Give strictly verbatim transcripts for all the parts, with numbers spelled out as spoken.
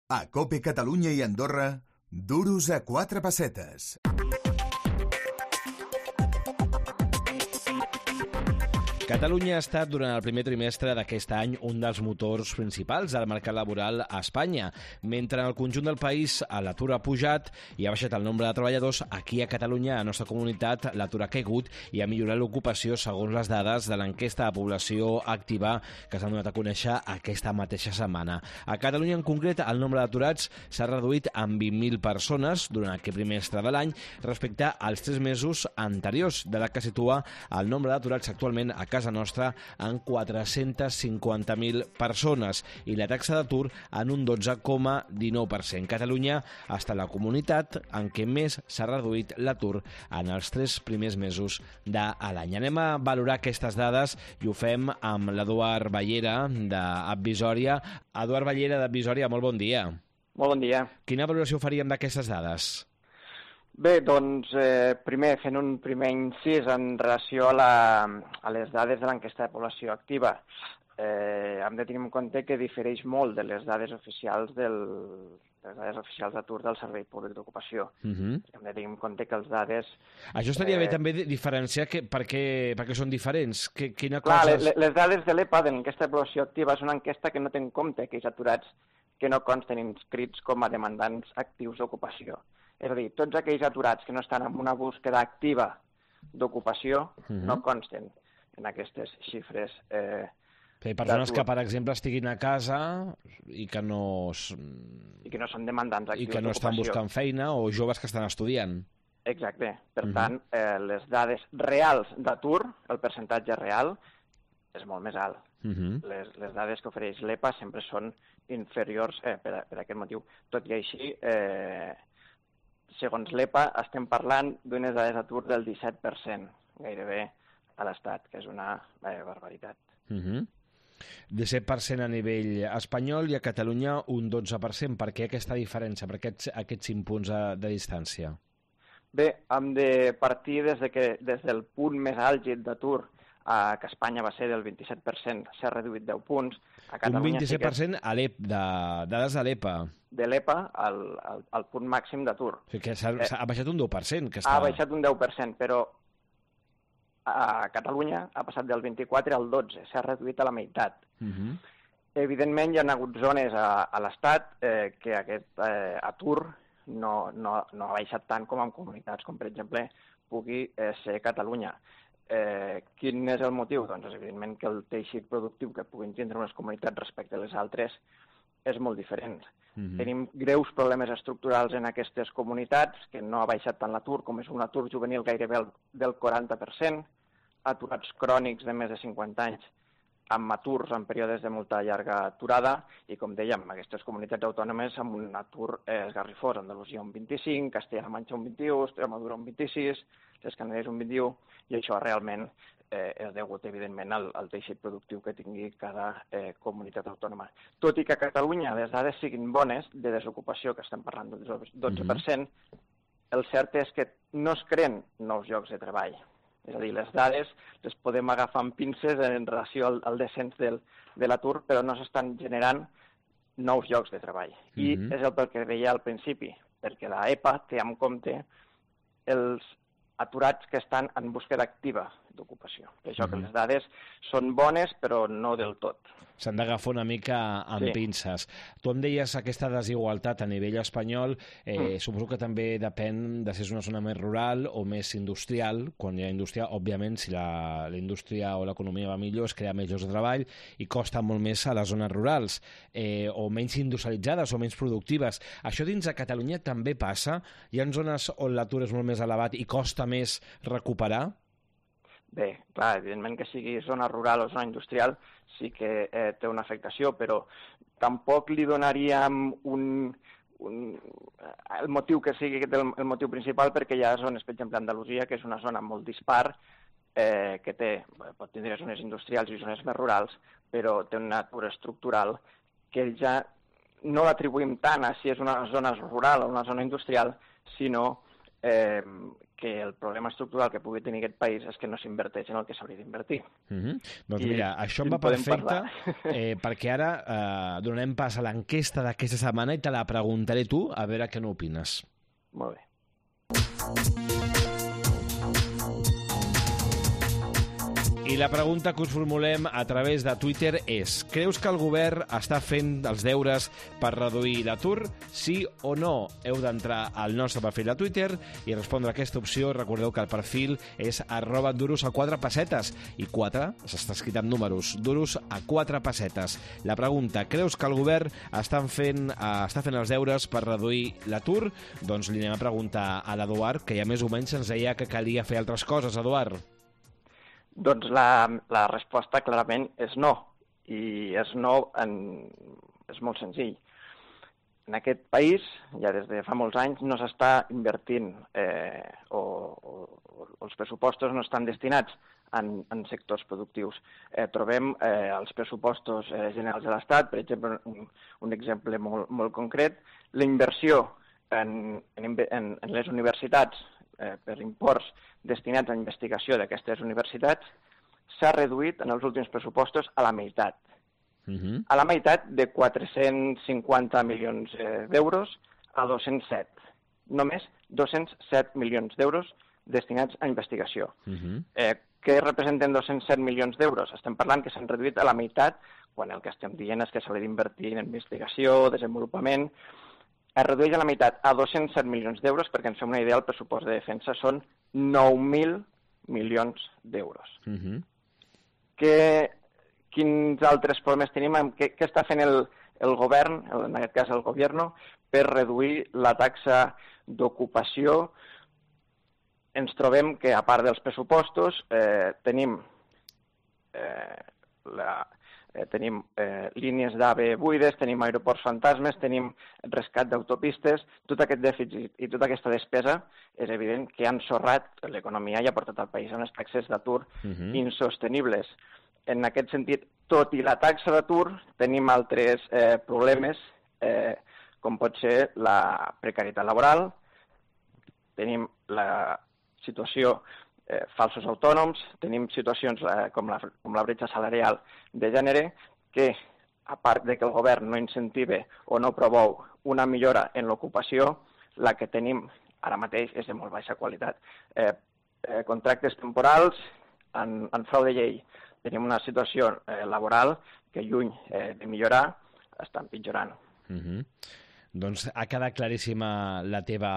A COPE Catalunya i Andorra, duros a quatre pessetes. Catalunya ha estat durant el primer trimestre d'aquest any un dels motors principals del mercat laboral a Espanya. Mentre en el conjunt del país l'atur ha pujat i ha baixat el nombre de treballadors, aquí a Catalunya, a la nostra comunitat, l'atur ha caigut i ha millorat l'ocupació segons les dades de l'enquesta de població activa que s'han donat a conèixer aquesta mateixa setmana. A Catalunya en concret, el nombre d'aturats s'ha reduït en vint mil persones durant aquest trimestre de l'any respecte als tres mesos anteriors, de la que situa el nombre d'aturats actualment a casa nostra en quatre-centes cinquanta mil persones i la taxa d'atur en un dotze coma dinou per cent. Catalunya ha estat la comunitat en què més s'ha reduït l'atur en els tres primers mesos de l'any. Anem a valorar aquestes dades i ho fem amb l'Eduard Ballera d'Advisòria. Eduard Ballera d'Advisòria, molt bon dia. Molt bon dia. Quina valoració faríem d'aquestes dades? Bé, doncs, eh, primer, fent un primer incís en relació a, la, a les dades de l'enquesta de població activa. Eh, hem de tenir en compte que difereix molt de les dades oficials del, de les dades oficials d'atur del Servei Públic d'Ocupació. Uh-huh. Hem de tenir en compte que els dades... Això estaria eh... bé també diferenciar que, per, què, per què són diferents. Que, quina Clar, cosa... les, les dades de l'E P A, de l'enquesta de població activa, és una enquesta que no té en compte aquells aturats que no consten inscrits com a demandants actius d'ocupació. És a dir, tots aquells aturats que no estan en una búsqueda activa d'ocupació uh-huh. no consten en aquestes xifres. Eh, Hi ha persones que, per exemple, estiguin a casa i que no... I que no són demandants actius d'ocupació. I que no estan buscant feina, o joves que estan estudiant. Exacte. Per uh-huh. tant, eh, les dades reals d'atur, el percentatge real, és molt més alt. Uh-huh. Les, les dades que ofereix l'E P A sempre són inferiors eh, per, a, per aquest motiu. Tot i així... Eh, segons l'E P A, estem parlant d'unes dades d'atur del disset per cent, gairebé a l'Estat, que és una eh, barbaritat. Uh-huh. disset per cent a nivell espanyol i a Catalunya un dotze per cent. Per què aquesta diferència? Per què aquests, aquests cinc punts de, de distància? Bé, hem de partir des, de que, des del punt més àlgid d'atur, eh, que Espanya va ser del vint-i-set per cent, s'ha reduït deu punts. A Catalunya un vint-i-set per cent sí que... a l'E P A, de dades de l'E P A. De l'E P A al, al, al punt màxim d'atur. O sigui que s'ha, eh, ha baixat un deu per cent. Que està... Ha baixat un deu per cent, però a Catalunya ha passat del vint-i-quatre al dotze, s'ha reduït a la meitat. Uh-huh. Evidentment hi ha hagut zones a, a l'Estat eh, que aquest eh, atur no, no, no ha baixat tant com en comunitats, com per exemple pugui eh, ser Catalunya. Eh, quin és el motiu? Doncs és evidentment que el teixit productiu que puguin tindre unes comunitats respecte a les altres és molt diferent. Uh-huh. Tenim greus problemes estructurals en aquestes comunitats, que no ha baixat tant l'atur, com és un atur juvenil gairebé del quaranta per cent, aturats crònics de més de cinquanta anys, amb aturs en períodes de molta llarga aturada, i com dèiem, aquestes comunitats autònomes amb un atur eh, esgarrifós, Andalusia un vint-i-cinc, Castella-La Manxa un vint-i-u, Extremadura un vint-i-sis, les Canàries un vint-i-u, i això realment eh, és degut, evidentment, al, al teixit productiu que tingui cada eh, comunitat autònoma. Tot i que a Catalunya les dades siguin bones, de desocupació, que estem parlant del dotze per cent, mm-hmm. el cert és que no es creen nous llocs de treball. És a dir, les dades les podem agafar amb pinces en relació al, al descens del, de l'atur, però no s'estan generant nous llocs de treball. I mm-hmm. és el pel que deia al principi, perquè la E P A té en compte els aturats que estan en búsqueda activa d'ocupació. Per això mm-hmm. que les dades són bones, però no del tot. S'han d'agafar una mica amb sí. pinces. Tu em deies aquesta desigualtat a nivell espanyol, eh, mm. suposo que també depèn de si és una zona més rural o més industrial. Quan hi ha indústria, òbviament, si la, la indústria o l'economia va millor, es crea més llocs de treball i costa molt més a les zones rurals, eh, o menys industrialitzades o menys productives. Això dins de Catalunya també passa? Hi ha zones on l'atur és molt més elevat i costa més recuperar? Bé, clar, evidentment que sigui zona rural o zona industrial sí que eh, té una afectació, però tampoc li donaríem un, un, el motiu que sigui el, el motiu principal, perquè hi ha zones, per exemple, Andalusia, que és una zona molt dispar, eh, que té, pot tindre zones industrials i zones més rurals, però té una natura estructural que ja no l'atribuïm tant a si és una zona rural o una zona industrial, sinó eh, que el problema estructural que pugui tenir aquest país és que no s'inverteix en el que s'hauria d'invertir. Mm-hmm. Doncs I, mira, això em va perfecte, eh, perquè ara eh, donarem pas a l'enquesta d'aquesta setmana i te la preguntaré tu, a veure què n'opines. Molt bé. I la pregunta que us formulem a través de Twitter és: creus que el govern està fent els deures per reduir l'atur? Sí o no? Heu d'entrar al nostre perfil de Twitter i respondre a aquesta opció. Recordeu que el perfil és arroba duros a quatre pessetes i quatre s'està escrit amb números, duros a quatre pessetes. La pregunta: creus que el govern està fent, eh, està fent els deures per reduir l'atur? Doncs li anem a preguntar a l'Eduard, que ja més o menys ens deia que calia fer altres coses. Eduard. Doncs la, la resposta clarament és no, i és no, en, és molt senzill. En aquest país, ja des de fa molts anys, no s'està invertint eh, o, o, o els pressupostos no estan destinats en, en sectors productius. Eh, trobem eh, els pressupostos eh, generals de l'Estat, per exemple, un, un exemple molt, molt concret, la inversió en, en, en, en les universitats eh, per imports destinats a investigació d'aquestes universitats s'ha reduït en els últims pressupostos a la meitat. Uh-huh. A la meitat de quatre-cents cinquanta milions eh, d'euros a dos-cents set. Només dos-cents set milions d'euros destinats a investigació. Uh-huh. Eh, què representen dos-cents set milions d'euros? Estem parlant que s'han reduït a la meitat, quan el que estem dient és que s'hauria d'invertir en investigació, desenvolupament. Es redueix a la meitat a dos-cents set milions d'euros, perquè ens fem una idea, el pressupost de defensa són nou mil milions d'euros. Uh-huh. Que, quins altres problemes tenim? Què, què està fent el, el govern, en aquest cas el govern, per reduir la taxa d'ocupació? Ens trobem que, a part dels pressupostos, eh, tenim eh, la... tenim eh, línies d'AVE buides, tenim aeroports fantasmes, tenim rescat d'autopistes. Tot aquest dèficit i tota aquesta despesa és evident que han sorrat l'economia i ha portat al país a unes taxes d'atur uh-huh. insostenibles. En aquest sentit, tot i la taxa d'atur, tenim altres eh, problemes, eh, com pot ser la precarietat laboral, tenim la situació Eh, falsos autònoms, tenim situacions eh, com, la, com la bretxa salarial de gènere, que, a part de que el govern no incentive o no promou una millora en l'ocupació, la que tenim ara mateix és de molt baixa qualitat. Eh, eh, contractes temporals, en, en frau de llei, tenim una situació eh, laboral que, lluny eh, de millorar, està empitjorant. Uh-huh. Doncs ha quedat claríssima la teva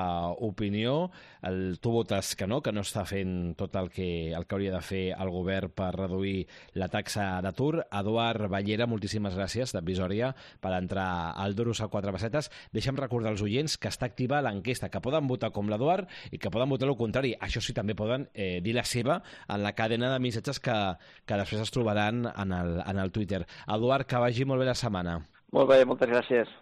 opinió. El, tu votes que no, que no està fent tot el que, el que hauria de fer el govern per reduir la taxa d'atur. Eduard Ballera, moltíssimes gràcies, d'Advisòria, per entrar al Duros a quatre pessetes. Deixa'm recordar als oients que està activa l'enquesta, que poden votar com l'Eduard i que poden votar el contrari. Això sí, també poden eh, dir la seva en la cadena de missatges que, que després es trobaran en el, en el Twitter. Eduard, que vagi molt bé la setmana. Molt bé, moltes gràcies.